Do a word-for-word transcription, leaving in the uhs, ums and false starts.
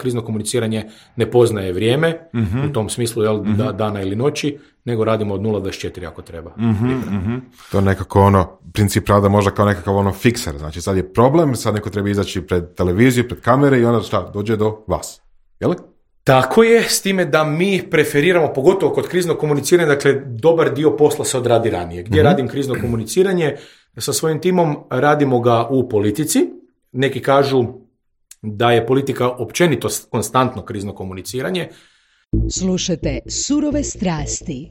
krizno komuniciranje ne poznaje vrijeme, mm-hmm. u tom smislu jel, mm-hmm. da, dana ili noći, nego radimo od nula do dvadeset četiri ako treba. Mm-hmm, mm-hmm. To je nekako ono, princip rada možda kao nekakav ono fikser, znači sad je problem, sad neko treba izaći pred televiziju, pred kamere i onda šta, dođe do vas, jel? Tako je, s time da mi preferiramo, pogotovo kod kriznog komuniciranja, dakle, dobar dio posla se odradi ranije. Gdje mm-hmm. radim krizno komuniciranje? Sa svojim timom radimo ga u politici. Neki kažu da je politika općenito konstantno krizno komuniciranje. Slušajte Surove strasti.